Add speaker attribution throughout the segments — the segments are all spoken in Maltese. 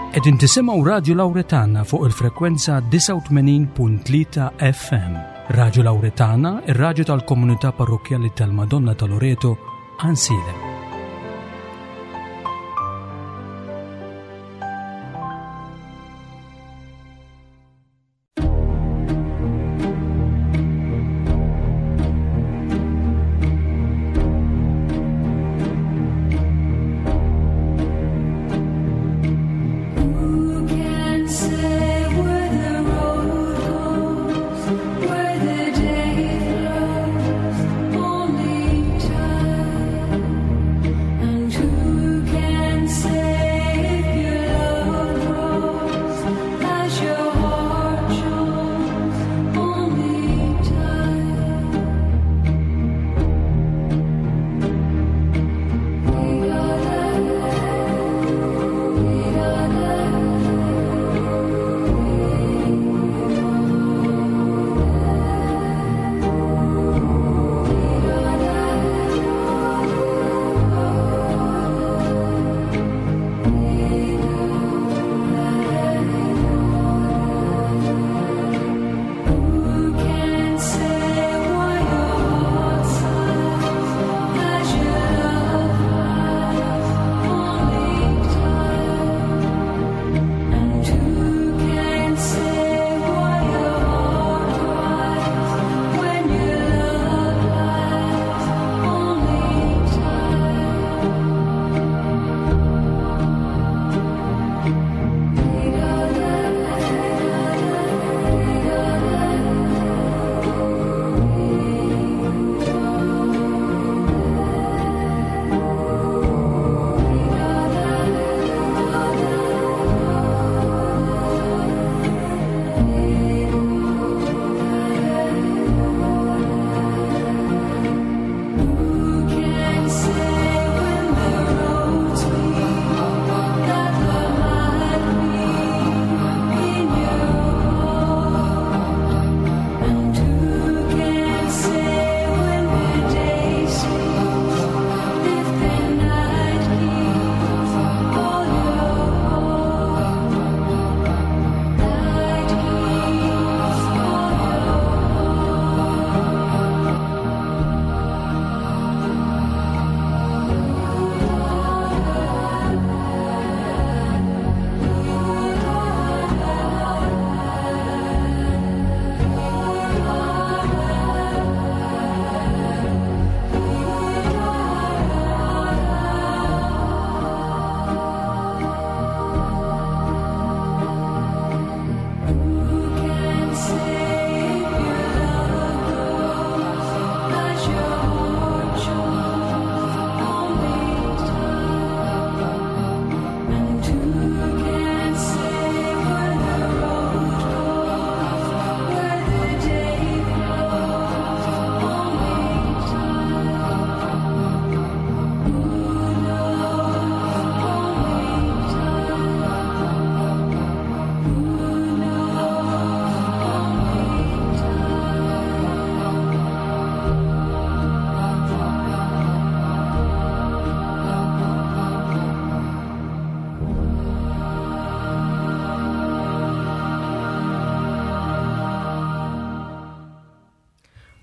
Speaker 1: Qegħdin tisimgħu Radju Lawretana fuq il-frekwenza 89.3 FM. Radju Lawretana, ir-radju tal-komunità parrokkjali tal-Madonna ta' Loreto, Ansilem.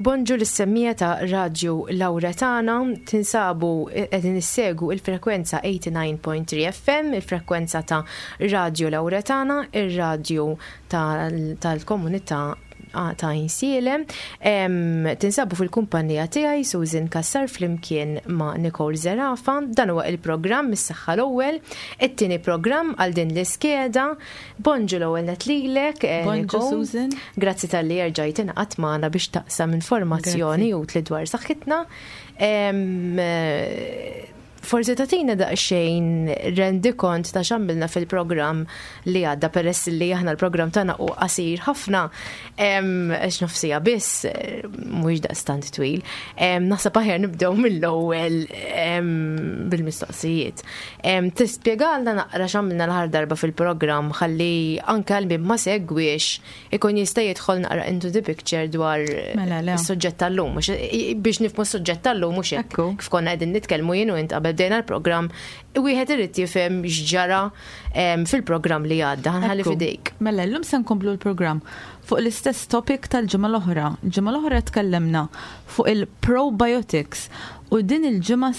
Speaker 2: Bonġu lis-semmiegħa ta' Radju Lawretana, tinsabu qegħdin issegwu il-frekwenza 89.3 FM, il-frekwenza ta' Radju Lawretana, ir-radju tal-komunità ta' Insielem. Tinsabu fil-kumpanija tiegħi Susan Cassar flimkien ma' Nicole Zerafa. Dan huwa il-programm Is-Saħħa l-Ewwel, it-tieni programm għal din l-iskeda. Bonġu l-ewwel net lilek, eh,
Speaker 3: Bonġu Susan.
Speaker 2: Grazzi talli erġajt ingħaqadt magħna biex taqsam informazzjoni utli dwar saħħitna. Eh, forsi tagħtina daqsxejn rendikont ta' x'għamilna fil-programm li għadda peress li aħna l-programm tagħna hu qasir ħafna għax nofsija biss eh, mhuwiex daqstant twil. Naħseb aħjar nibdew mill-ewwel bil-mistoqsijiet. Tispjegalna naqra x'għamilna l-aħħar darba fil-programm ħalli anke għal min ma segwiex ikun jista' jidħol naqra into the picture dwar mela, is-suġġett tal-lum. Biex nifhmu s-suġġett tal-lum mhux hekk kif konna qegħdin nitkellmu jien u int qabel bdejna l-programm, wieħed irid jifhem x'ġara fil-programm li għadda. Ħa nħalli f'idejk.
Speaker 3: Mela llum se nkomplu l-programm fuq l-istess topic tal-ġimgħa l-oħra. Il-ġimgħa l-oħra tkellemna fuq il-probiotics u din il-ġimgħa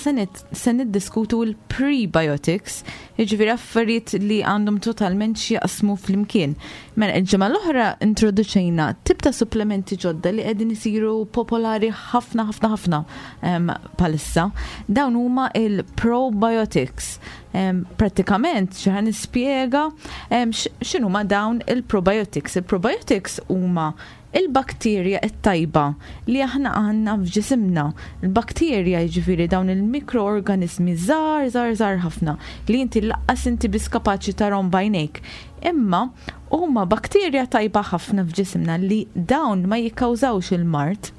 Speaker 3: se niddiskutu l-prebiotics, jiġifieri affarijiet li għandhom totalment x'jaqsmu flimkien. Mela il-ġimgħa l-oħra introduċejna tip ta' supplementi ġodda li qegħdin isiru popolari ħafna ħafna ħafna bħalissa. Dawn huma il-probiotics. Prattikament xi ħa nispjega x'inhuma dawn il-probiotics. Il-probiotics huma il-bakterja t-tajba li aħna għandna f'ġisimna. Il-bakterja jiġifieri dawn il-mikroorganiżmi żgħar żgħar żgħar ħafna li inti laqqas inti biss kapaċi tarahom b'għajnejk. Imma huma bakterja tajba ħafna f'ġisimna li dawn ma jikkawżawx il-mard.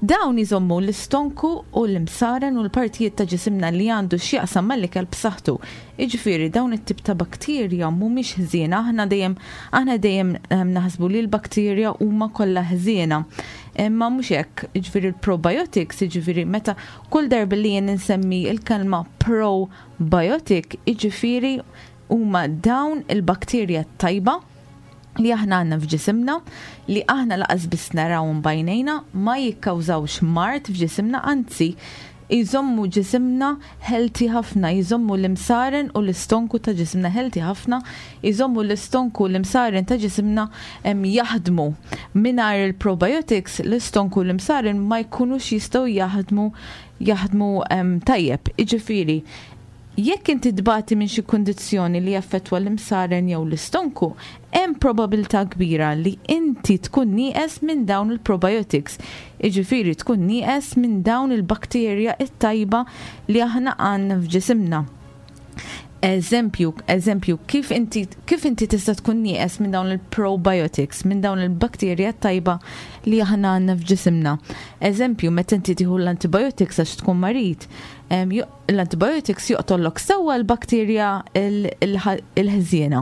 Speaker 3: Dawn iżommu l-istonku u l-imsaren u l-partijiet ta' ġisimna li għandu x'jaqsam mal-ikel b'saħħtu. Jiġifieri dawn it-tip ta' bakterja mhumiex ħżiena, aħna dejjem aħna dejjem ehm, naħsbu li l-bakterja huma kollha ħżiena. Imma mhux hekk, jiġifieri l-probiotics, jiġifieri meta kull darba li jien insemmi l-kelma probiotic, jiġifieri huma dawn il-bakterja tajba li aħna għandna f'ġisimna, li aħna laqas biss narawhom b'għajnejna, ma jikkawżawx mard f'ġisimna, anzi jżommu ġisimna healthy ħafna, jżommu l-imsaren u l-istonku ta' ġisimna healthy ħafna, jżommu l-istonku u l-imsaren ta' ġisimna jaħdmu. Mingħajr il-probiotics, l-istonku u l-imsaren ma jkunux jistgħu jaħdmu jaħdmu tajjeb. Jiġifieri, Jekk inti tbati minn xi kundizzjoni li jaffettwa l-imsaren jew l-istonku, hemm probabilità kbira li inti tkun nieqes minn dawn il-probiotics, jiġifieri tkun nieqes minn dawn il-bakterja t-tajba li aħna għandna f'ġisimna. Eżempju, eżempju, kif inti kif inti tista' tkun nieqes minn dawn il-probiotics, minn dawn il-bakterja t-tajba li aħna għandna f'ġisimna. Eżempju, meta inti tieħu l-antibiotics għax tkun marid, L-antibiotics joqtollok sewwa l-bakterja l-ħżiena,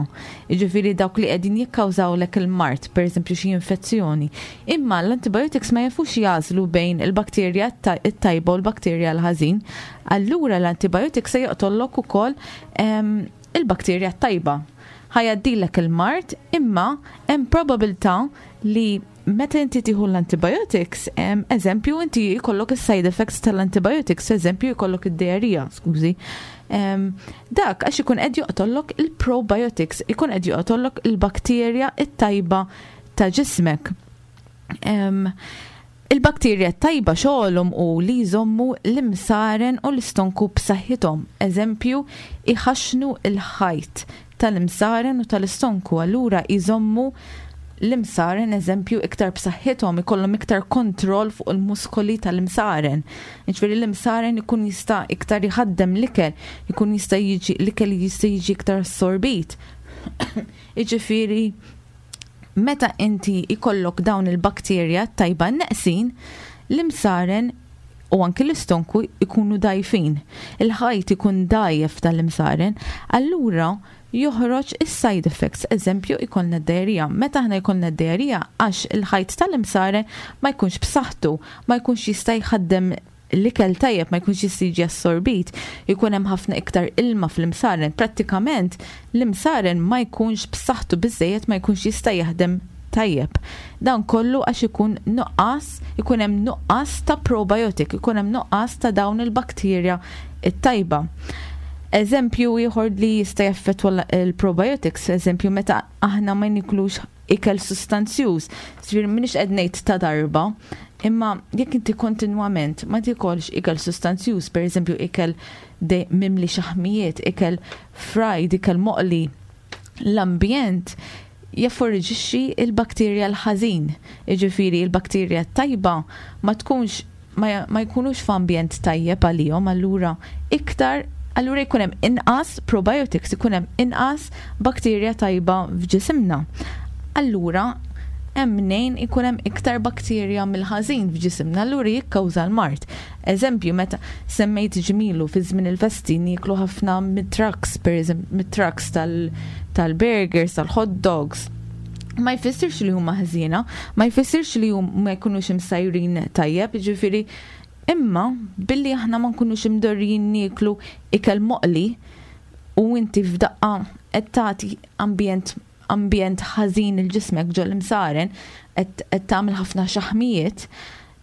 Speaker 3: jiġifieri dawk li qegħdin jikkawżawlek il-mard, pereżempju xi infezzjoni. Imma l-antibiotics ma jafux jagħżlu bejn il-bakterja t-tajba u l-bakterja l-ħażin. Allura l-antibiotics se joqtollok ukoll il-bakterja t-tajba. Ħa jgħaddilek il-mard imma hemm probabilità li Meta inti tieħu l-antibiotics, eżempju, inti jkollok is-side effects tal-antibiotics, eżempju, jkollok id-diarrhea, skużi. Dak għax ikun qed joqtollok il-probiotics, ikun qed joqtollok il-bakterja it-tajba ta' ġismek. Il-bakterja tajba xogħolhom hu li jżommu l-imsaren u l-istonku b'saħħithom, eżempju, iħaxxnu l-ħajt tal-imsaren u tal-istonku allura jżommu l-imsaren eżempju iktar b'saħħithom, ikollhom iktar kontroll fuq il-muskoli tal-imsaren. Jiġifieri l-imsaren ikun jista' iktar jħaddem l-ikel, ikun jista' jiġi l-ikel jista' jiġi iktar assorbit. Jiġifieri meta inti jkollok dawn il-bakterja tajba neqsin, l-imsaren u anki l-istonku jkunu dgħajfin. Il-ħajt ikun dgħajjef tal-imsaren, allura joħroġ is-side effects, eżempju jkollna d-diarrhea. Meta aħna jkollna d-diarrhea għax il-ħajt tal-imsaren ma jkunx b'saħħtu, ma jkunx jista' jħaddem l-ikel tajjeb ma jkunx jista' jiġi assorbit, jkun hemm ħafna iktar ilma fl-imsaren, prattikament l-imsaren ma jkunx b'saħħtu biżżejjed ma jkunx jista' jaħdem tajjeb. Dan kollu għax ikun nuqqas, ikun hemm nuqqas ta' probiotic, ikun hemm nuqqas ta' dawn il-bakterja t-tajba. Eżempju ieħor li jista' jaffettwa l-probiotics, eżempju meta aħna ma niklux ikel sustanzjuż, ġifieri m'iniex qed ngħid ta' darba, imma jekk inti kontinwament ma tikolx ikel sustanzjuż, pereżempju ikel mimli xaħmijiet, ikel fried, ikel moqli, l-ambjent jafforġixxi l-bakterja l-ħażin. Jiġifieri l-bakterja t-tajba ma tkunx ma, ma jkunux f'ambjent tajjeb għalihom, allura iktar allura jkun hemm inqas probiotics, ikun hemm inqas bakterja tajba f'ġisimna. Allura hemm mnejn ikun hemm iktar bakterja mill-ħażin f'ġisimna, allura jikkawża l-mard. Eżempju, meta semmejt ġmielu fi żmien il-festi nieklu ħafna mit-trucks, pereżempju mit-trucks tal-burgers, tal-hot dogs. Ma jfissirx li huma ħżiena, ma jfissirx li ma jkunux imsajrin tajjeb, jiġifieri Imma billi aħna ma nkunux imdorrijin nieklu ikel moqli u inti f'daqqa qed tagħti ambjent ambjent ħażin lil ġismek ġol-imsaren, qed tagħmel ħafna xaħmijiet,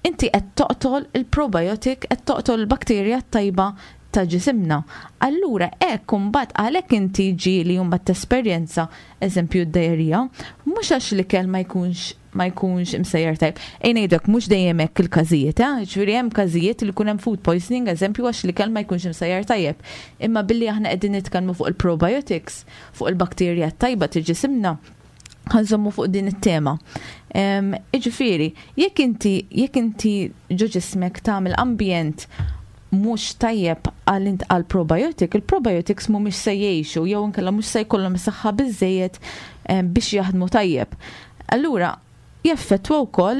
Speaker 3: inti qed toqtol il-probiotic, qed toqtol il-bakterja t-tajba ta' ġisimna. Allura hekk imbagħad għalhekk inti ġieli mbagħad tesperjenza eżempju d-diarrhea, mhux għax l-ikel ma jkunx ma jkunx imsejjer tajb. Ejja ngħidlek mhux dejjem hekk il-każijiet, eh? Ġifieri hemm każijiet li jkun hemm food poisoning, eżempju għax l-ikel ma jkunx imsejjer tajjeb. Imma billi aħna qegħdin nitkellmu fuq il-probiotics, fuq il-bakterja tajba ta' ġisimna, ħa nżommu fuq din it-tema. Iġifieri, jekk inti ġo ġismek tagħmel ambjent mhux tajjeb għal probiotic, il-probiotics mhumiex se jgħixu jew inkella mhux se jkollhom saħħa biżejjed biex jaħdmu tajjeb. Allura, jaffettwa wkoll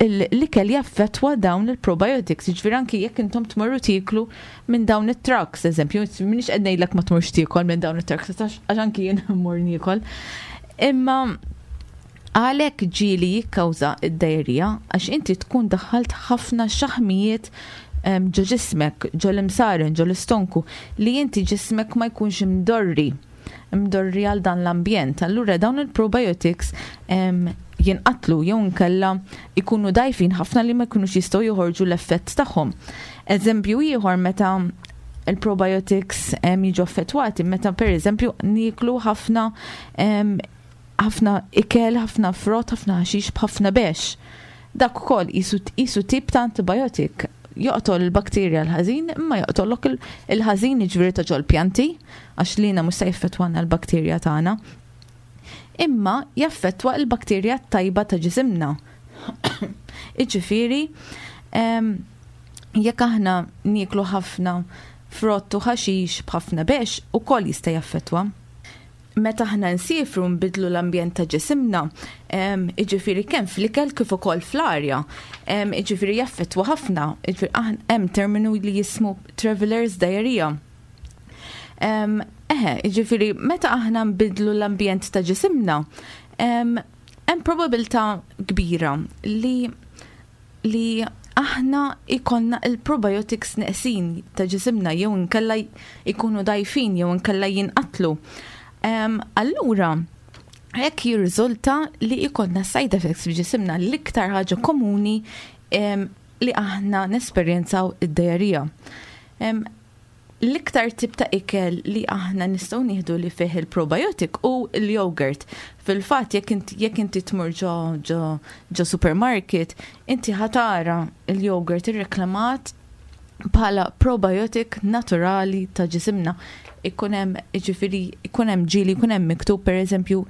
Speaker 3: l-ikel, jaffettwa dawn il-probiotics, ġifieri anki jekk intom tmorru tieklu minn dawn it-trucks, eżempju, minix qed ngħidlek ma tmurx tiekol minn dawn it-trucks, għax anki jien mmur niekol. Imma għalhekk ġieli jikkawża id-diarrhea, għax inti tkun daħħalt ħafna xaħmijiet ġo ġismek, ġo l-imsaren, ġo l-istonku, li inti ġismek ma jkunx imdorri għal dan l-ambjent. Allura dawn il-probiotics jinqatlu jew inkella ikunu dajfin ħafna li ma jkunux jistgħu joħorġu l-effett tagħhom. Eżempju ieħor meta il-probiotics jiġu affettwati, meta per eżempju nieklu ħafna ħafna ikel, ħafna frott, ħafna ħaxix b'ħafna bex. Dak ukoll qisu tip ta' antibiotic, joqtol il-bakterja l-ħażin, imma joqtollok il-ħażin ġifieri ta' ġol-pjanti, għax lina mhux se jaffettwana l-bakterja tagħna. Imma jaffettwa l-bakterja tajba ta' ġisimna. Iġifieri, jekk aħna nieklu ħafna frott u ħaxix b'ħafna bex, ukoll jista' jaffettwa. Meta aħna nsifru nbidlu l-ambjent ta' ġisimna, iġifieri kemm fl-ikel kif ukoll fl-arja, iġifieri jaffettwa ħafna, iġifieri hemm terminu li jismu travelers diarrhea. Eħe, iġifieri meta aħna nbidlu l-ambjent ta' ġisimna, hemm probabilità kbira li aħna ikollna il-probiotics neqsin ta' ġisimna jew inkella ikunu dajfin jew inkella jinqatlu. Allura, hekk jirriżulta li ikollna side effects f'ġisimna, l-iktar ħaġa komuni li aħna nesperjenzaw id-diarrhea. L-iktar tip ta' ikel li aħna nistgħu nieħdu li fih il-probiotic hu l-yogurt. Fil-fatt jekk inti tmur ġo supermarket, inti ħa tara il-yogurt irreklamat bħala probiotic naturali ta' ġisimna. Ikun hemm, ġifieri, ikun hemm ġieli ikun hemm miktub pereżempju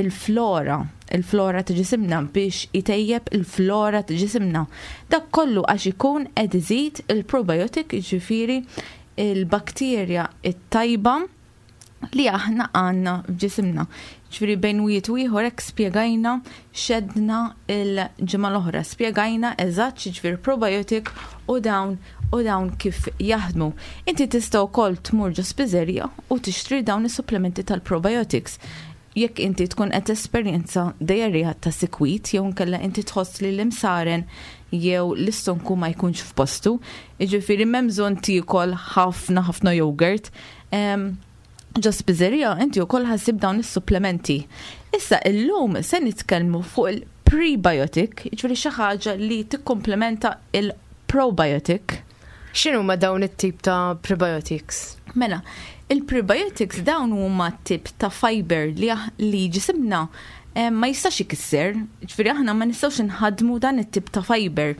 Speaker 3: il-flora ta' ġisimna biex itejjeb il-flora ta' ġisimna. Dak kollu għax ikun qed iżid il-probiotic, ġifieri il-bakterja it-tajba li aħna għandna f'ġisimna. Ġifieri bejn wieħed u ieħor hekk spjegajna x'għedna il-ġimgħa l-oħra, spjegajna eżatt x'jiġifieri probiotic u dawn kif jaħdmu. Inti tista' wkoll tmur ġo spiżerija u tixtri dawn is-supplementi tal-probiotics. Jekk inti tkun qed esperjenza diarrhea ta' sikwit jew inkella inti tħoss li l-imsaren jew l-istonku ma jkunx f'postu, jiġifieri m'hemm bżonn tiekol ħafna ħafna yogurt. Ġo spiżerija inti wkoll ħa ssib dawn is-supplementi. Issa illum se nitkellmu fuq il-prebiotic, jiġifieri xi ħaġa li tikkomplementa il-probiotic.
Speaker 2: X'inhuma dawn it-tip ta' prebiotics?
Speaker 3: Mela, il-prebiotics dawn huma tip ta' fiber li ġisimna ma jistax ikisser, ġifieri aħna ma nistgħux nħadmu dan it-tip ta' fiber.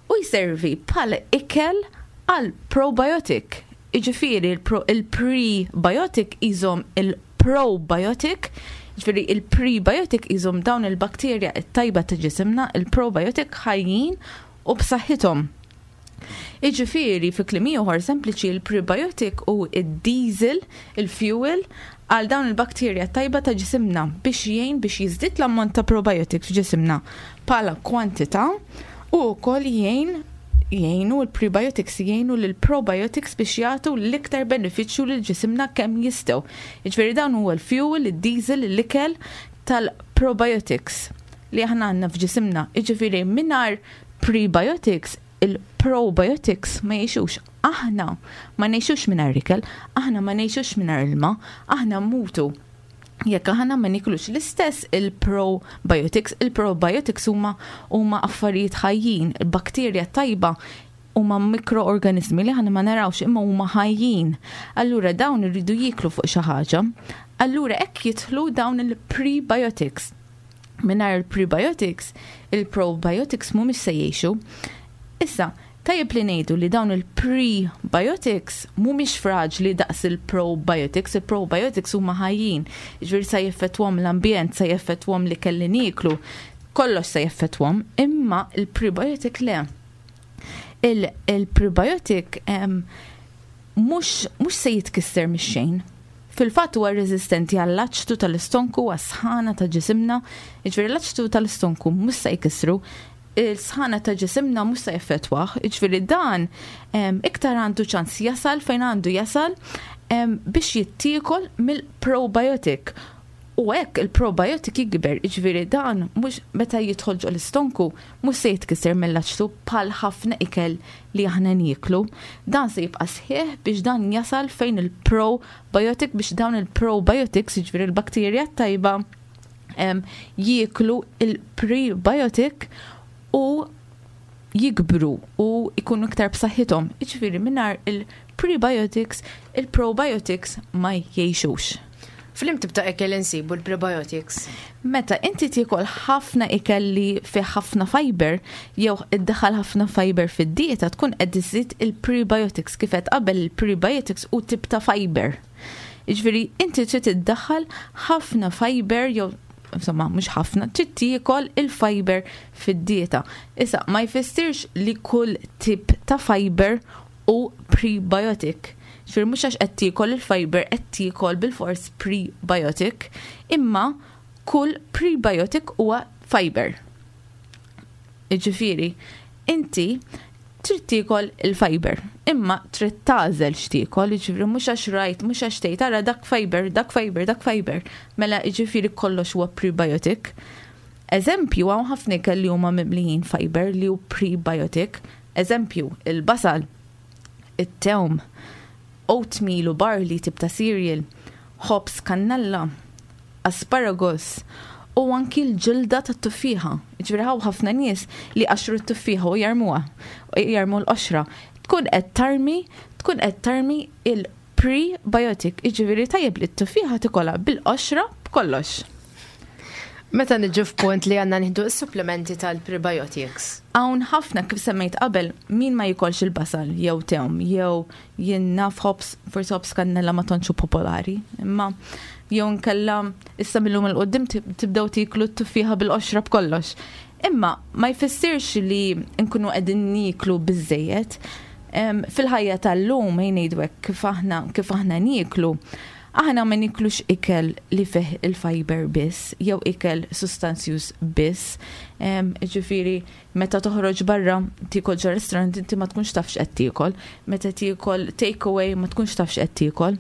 Speaker 3: U jservi bħala ikel għal probiotic. Iġifieri il-prebiotic iżomm il-probiotic, ġifieri il-prebiotic iżomm dawn il-bakterja it-tajba ta' ġisimna, il-probiotic ħajjin u b'saħħithom. Iġifieri, fi kliem ieħor sempliċi, il-prebiotic hu id-diesel, il-fuel, għal dawn il-bakterja tajba ta' ġisimna biex jgħin biex jiżdied l-ammont ta' probiotic f'ġisimna bħala kwantità u wkoll jgħinu l-prebiotics jgħinu l-probiotics biex jagħtu l-iktar benefiċċju lil ġisimna kemm jistgħu. Jiġifieri dawn huwa l-fuel, id-diesel, l-ikel tal-probiotics li aħna għandna f'ġisimna. Jiġifieri mingħajr prebiotics. Il-probiotics ma jgħixux. Aħna ma ngħixux mingħajr ikel, aħna ma ngħixux mingħajr ilma, aħna mmutu jekk aħna ma niklux. L-istess il-probiotics, il-probiotics huma huma affarijiet ħajjin, il-bakterja tajba huma mikroorganizmi li aħna ma narawx imma huma ħajjin. Allura dawn iridu jieklu fuq xi ħaġa. Allura hekk jidħlu dawn il-prebiotics. Mingħajr il-prebiotics, il-probiotics mhumiex se jgħixu. Issa, tajjeb li ngħidu li dawn il-prebiotics mhumiex fraġli daqs il-probiotics, il-probiotics huma ħajjin, jiġifieri sa jeffettwahom l-ambjent, sa jeffettwahom l-ikel li nieklu, kollox se jeffettwahom, imma il-prebiotic le. Il-prebiotic mhux se jitkisser mix-xejn. Fil-fatt huwa reżistenti għall-aċtu tal-istonku, għas-sħana ta' ġisimna, jiġifieri l-aċtu tal-istonku mhux se jkissru, il-sħana ta' ġisimna mhux se jeffettwah, jiġifieri dan iktar għandu ċans jasal fejn għandu jasal biex jittiekol mill-probiotic. U hekk il-probiotic jikber, jiġifieri dan mhux meta jidħol ġo l-istonku mhux se jitkisser mill-aċtu bħal ħafna ikel li aħna nieklu. Dan se jibqa' sħiħ biex dan jasal fejn il-probiotic biex dawn il-probiotics, jiġifieri l-bakterja tajba, jieklu il-prebiotic u jikbru u jkunu iktar b'saħħithom. Jiġifieri mingħajr il-prebiotics, il-probiotics ma jgħixux.
Speaker 2: F'liema tip ta' ikel insibu l-prebiotics?
Speaker 3: Meta inti tiekol ħafna ikel li fih ħafna fiber, jew iddaħħal ħafna fiber fid-dieta, tkun qed iżid il-prebiotics. Kif qed qabel il-prebiotics u tip ta' fiber. Jiġifieri inti trid iddaħħal ħafna fiber jew insomma mhux ħafna, trid tiekol il-fiber fid-dieta. Issa ma jfissirx li kull tip ta' fiber u prebiotic. Ġifieri mhux għax qed tiekol il-fiber qed tiekol bilfors prebiotic, imma kull prebiotic huwa fiber. Jiġifieri, inti trid tiekol il-fiber, imma trid tagħżel x'tiekol, jiġifieri mhux għax rajt, mhux għax tgħid ara dak fiber, dak fiber, dak fiber. Mela jiġifieri kollox huwa prebiotic. Eżempju, hawn ħafna ikel li huma mimlijin fiber li hu prebiotic. Eżempju, il-basal, it-tewm, oatmeal u barley tip ta' cereal, ħobż kannella, asparagus, u anki l-ġilda tat-tuffieħa. Ġifieri hawn ħafna nies li qaxru t-tuffieħa u jarmuha, jarmu l-qoxra. Tkun qed tarmi, tkun qed tarmi il-prebiotic, jiġifieri tajjeb li t-tuffieħa tikolha bil-qoxra b'kollox.
Speaker 2: Meta niġu f'punt li għandna nieħdu s-supplementi tal-prebiotics?
Speaker 3: Hawn ħafna kif semmejt qabel, min ma jikolx il-basal jew tewm jew jien naf ħobż, forsi ħobż kannella ma tantx hu popolari, imma jew nkella issa millum 'il quddiem tibdew tieklu t-tuffieħa bil-qoxra b'kollox. Imma ma jfissirx li nkunu qegħdin nieklu biżżejjed. Fil-ħajja tal-lum ejja ngħidu hekk kif aħna kif aħna nieklu, aħna ma niklux ikel li fih il-fiber biss jew ikel sustanzjuż biss. Ġifieri meta toħroġ barra tiekol ġo restaurant inti ma tkunx taf x'qed tiekol, meta tiekol take away ma tkunx taf x'qed tiekol.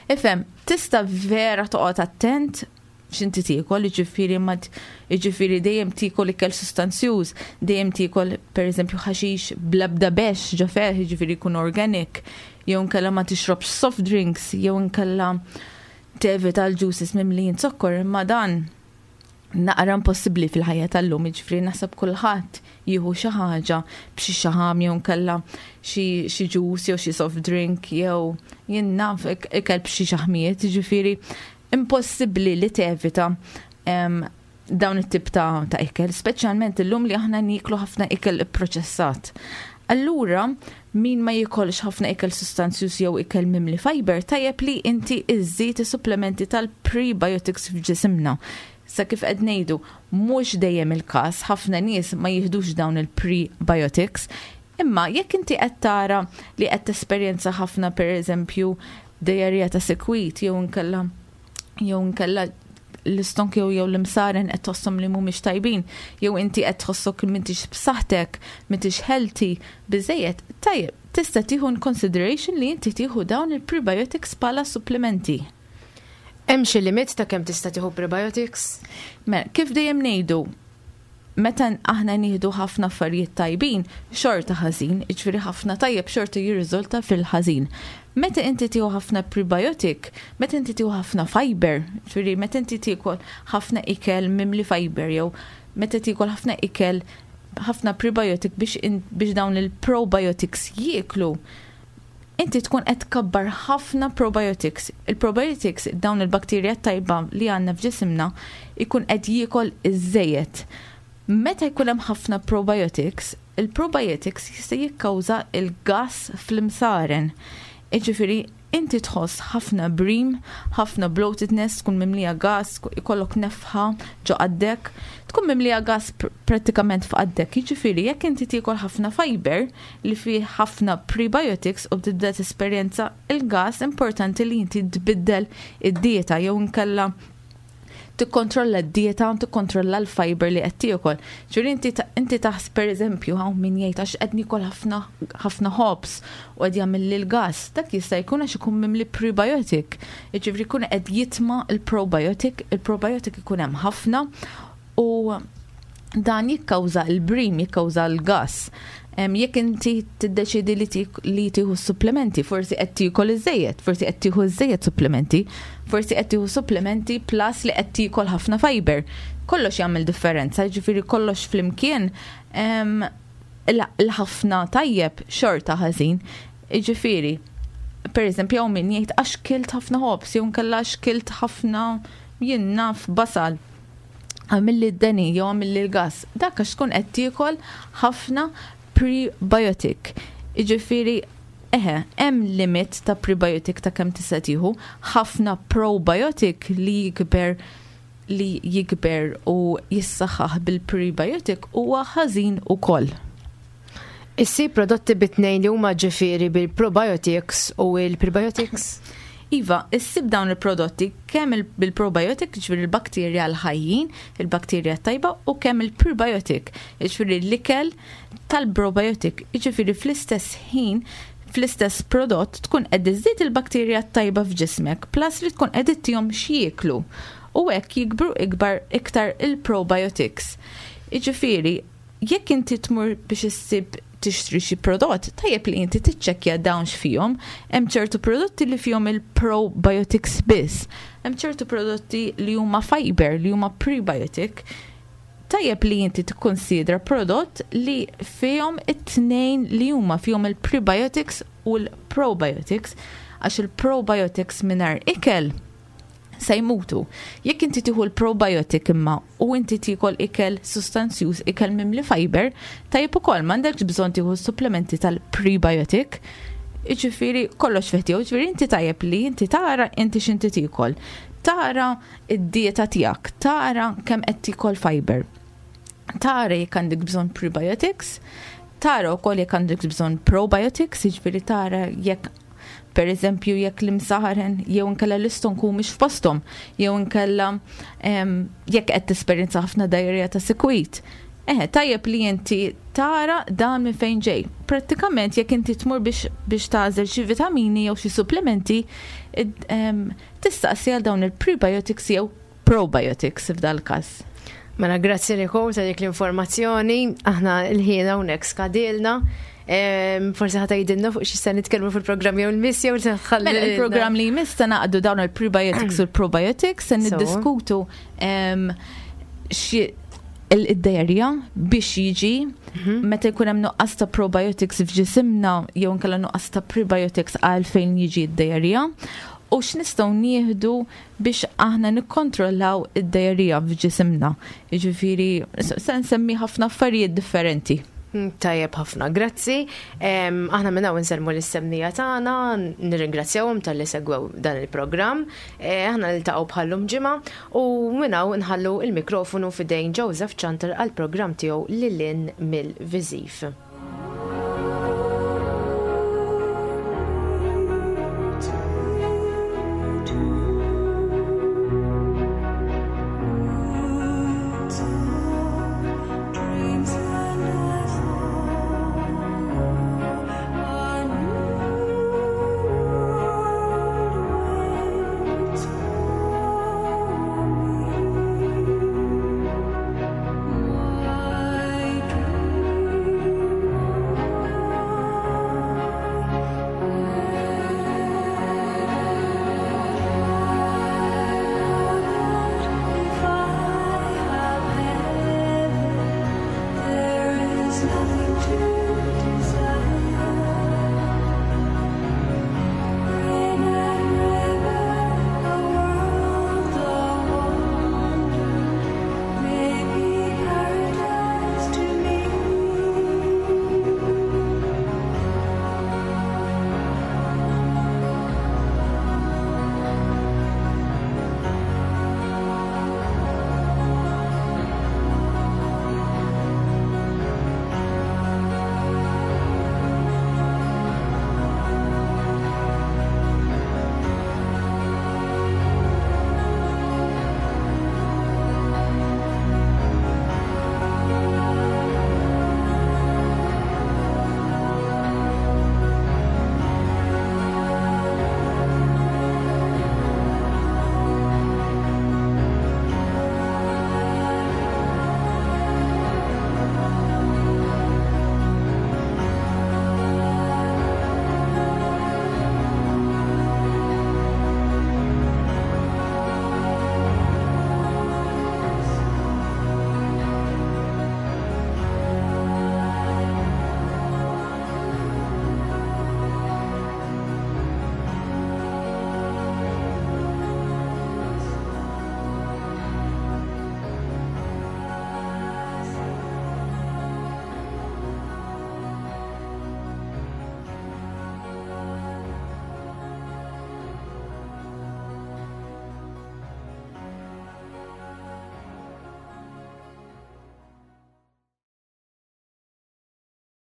Speaker 3: Ifhem, tista' vera toqgħod attent x'inti tiekol, jiġifieri ma jiġifieri dejjem tiekol ikel sustanzjuż, dejjem tiekol pereżempju ħaxix bl-ebda bex ġo fih, jiġifieri jkun organic, jew inkella ma tixrobx soft drinks, jew inkella tevita l-juices mimlijin zokkor, imma dan naqra impossibbli fil-ħajja tal-lum, jiġifieri naħseb kulħadd jieħu xi ħaġa b'xi xaħam jew inkella xi juice jew xi soft drink jew jien naf ikel b'xi xaħmijiet, jiġifieri impossibbli li tevita dawn it-tip ta' ikel, speċjalment illum li aħna nieklu ħafna ikel ipproċessat. Allura, min ma jikolx ħafna ikel sustanzjuż jew ikel mimli fiber, tajjeb li inti iżżid is-supplementi tal-prebiotics f'ġisimna. Sa kif qed ngħidu, mhux dejjem il-każ, ħafna nies ma jiħdux dawn il-prebiotics, imma jekk inti qed tara li qed tesperjenza ħafna pereżempju diarrea ta' sikwit jew inkella jew inkella l-istonk jew l-imsaren qed tħosshom li mhumiex tajbin, jew inti qed tħossok li m'intix b'saħħtek, m'intix healthy biżejjed, tajjeb, tista' tieħu in consideration li inti tieħu dawn il-prebiotics bħala supplementi.
Speaker 2: Hemm xi limit ta' kemm tista' tieħu prebiotics?
Speaker 3: Mela, kif dejjem ngħidu, Meta aħna nieħdu ħafna affarijiet tajbin, xorta ħażin, jiġifieri ħafna tajjeb xorta jirriżulta fil-ħażin. Meta inti tieħu ħafna prebiotic, meta inti tieħu ħafna fiber, jiġifieri meta inti tiekol ħafna ikel mimli fiber jew meta tiekol ħafna ikel ħafna prebiotic biex, biex dawn il-probiotics jieklu, inti tkun qed tkabbar ħafna probiotics. Il-probiotics, dawn il-bakterja tajba li għandna f'ġisimna, ikun qed jiekol iż-żejjed. Meta jkun hemm ħafna probiotics, il-probiotics jista' jikkawża il-gas fl-imsaren. Jiġifieri inti tħoss ħafna brim, ħafna bloatedness, tkun mimlija gas, ikollok nefħa ġo qaddek, tkun mimlija gas prattikament f'qaddek. Jiġifieri jekk inti tiekol ħafna fiber li fih ħafna prebiotics u tibda tesperjenza il-gas, importanti li inti tbiddel id-dieta jew inkella tikkontrolla d-dieta u tikkontrolla l-fiber li qed tiekol. Ġifieri inti taħs pereżempju hawn min jgħid għax qed niekol ħafna ħafna ħobż u qed jagħmel l-gas, dak jista' jkun għax ikun mimli prebiotic. Jiġifieri jkun qed jitma' l-probiotic, il-probiotic ikun hemm ħafna u dan jikkawża l-brim, jikkawża l-gas. Jekk inti tiddeċidi li tieħu supplementi, forsi qed tiekol iżejjed, forsi qed tieħu iżejjed supplementi, forsi qed tieħu supplementi plus li qed tiekol ħafna fiber. Kollox jagħmel differenza, jiġifieri kollox flimkien l-ħafna tajjeb xorta ħażin. Jiġifieri, per eżempju, hawn min jgħid għax kilt ħafna ħobż, jew inkella għax kilt ħafna jien naf basal għamilli d-deni jew għamilli l-gas. Dak għax tkun qed tiekol ħafna prebiotic. Jiġifieri, eħe, hemm limit ta' prebiotic ta' kemm tista' tieħu, ħafna probiotic li jikber u jissaħħaħ bil-prebiotic huwa ħażin ukoll.
Speaker 2: Issib prodotti bit-tnejn li huma, ġifieri bil-probiotics u il-prebiotics?
Speaker 3: Iva, issib dawn il-prodotti kemm bil-probiotic, ġifieri il-bakterja l-ħajjin, il-bakterja tajba, u kemm il-prebiotic, ġifieri l-ikel tal-probiotic, ġifieri fl-istess ħin, fl-istess prodott tkun qed iżżid il-bakterja tajba f'ġismek, plus li tkun qed ittihom x'jieklu. U hekk jikbru ikbar iktar il-probiotics. Jiġifieri, jekk inti tmur biex issib tixtri xi prodott, tajjeb li inti tiċċekkja dawn x'fihom. Hemm ċertu prodotti li fihom il-probiotics biss. Hemm ċertu prodotti li huma fiber, li huma prebiotic. Tajjeb li inti tikkonsidra prodott li fihom it-tnejn li huma, fihom il-prebiotics u l-probiotics, għax il-probiotics mingħajr ikel se jmutu. Jekk inti tieħu l-probiotic imma u inti tiekol ikel sustanzjuż, ikel mimli fiber, tajjeb ukoll, m'għandekx bżonn tieħu supplementi tal-prebiotic. Jiġifieri kollox fih tiegħu, jiġifieri inti tajjeb li inti tara inti x'inti tiekol. Tara id-dieta tiegħek, tara kemm qed tiekol fiber. Tara jekk għandek bżonn prebiotics, tara wkoll jekk għandek bżonn probiotics, jiġifieri tara jekk per eżempju jekk l-imsaren jew inkella l-istonku mhix f'posthom, jew inkella jekk qed tesperjenza ħafna diarrhea ta' sikwit. Eħe, tajjeb li inti tara dan minn fejn ġej. Prattikament jekk inti tmur biex tagħżel xi vitamini jew xi supplementi, tistaqsi għal dawn il-prebiotics jew probiotics f'dal każ.
Speaker 2: Mela grazzi Nicole ta' dik l-informazzjoni, aħna l-ħin hawnhekk skadilna. Forsi ħa tgħidilna fuq xi se nitkellmu fil-programm jew il-miss jew se tħalli.
Speaker 3: Mela, il-programm li jmiss se naqdu dawn il-prebiotics u l-probiotics, se niddiskutu xi il-diarrhea biex jiġi meta jkun hemm nuqqas ta' probiotics f'ġisimna jew inkella nuqqas ta' prebiotics, għalfejn jiġi d-diarrhea u x'nistgħu nieħdu biex aħna nikkontrollaw id-diarrhea f'ġisimna. Jiġifieri se nsemmi ħafna affarijiet differenti.
Speaker 2: Tajjeb ħafna, grazzi. Aħna minn hawn insellmu lis-semmiegħa tagħna, nirringrazzjawhom talli segwew dan il-programm. Aħna niltaqgħu bħallum ġimgħa u minn hawn nħallu il-mikrofonu f'idejn Joseph Chanter għall-programm tiegħu Lil Hinn mill-Viżiv.